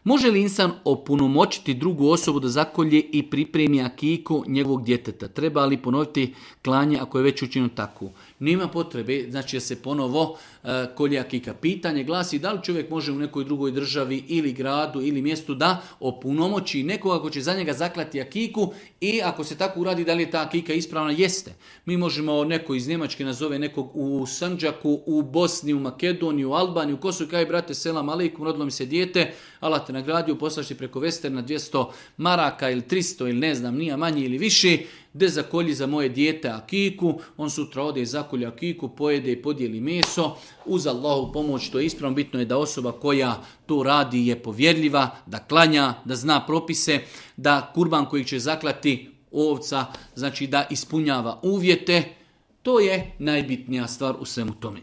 Može li insan opunomoćiti drugu osobu da zakolje i pripremi akiku njegovog djeteta? Treba li ponoviti klanje ako je već učinjeno tako? Nema potrebe, znači da se ponovo kolje akika. Pitanje glasi da li čovjek može u nekoj drugoj državi ili gradu ili mjestu da opunomoći nekoga ko će za njega zaklati akiku i ako se tako uradi da li je ta akika ispravna? Jeste. Mi možemo, neko iz Njemačke nazove nekog u Sandžaku, u Bosni, u Makedoniji, u Albaniji, u Kosovu, kaj brate, selam aleikum, rodilo mi se dijete, Allah te nagradio, poslaš ti preko Westerna 200 maraka ili 300 ili ne znam, nije manje ili više, de zakolji za moje dijete akiku, on sutra ode i zakolji akiku, pojede i podijeli meso, uz Allahu pomoć, to je ispravno, bitno je da osoba koja to radi je povjerljiva, da klanja, da zna propise, da kurban koji će zaklati ovca, znači da ispunjava uvjete, to je najbitnija stvar u svemu tome.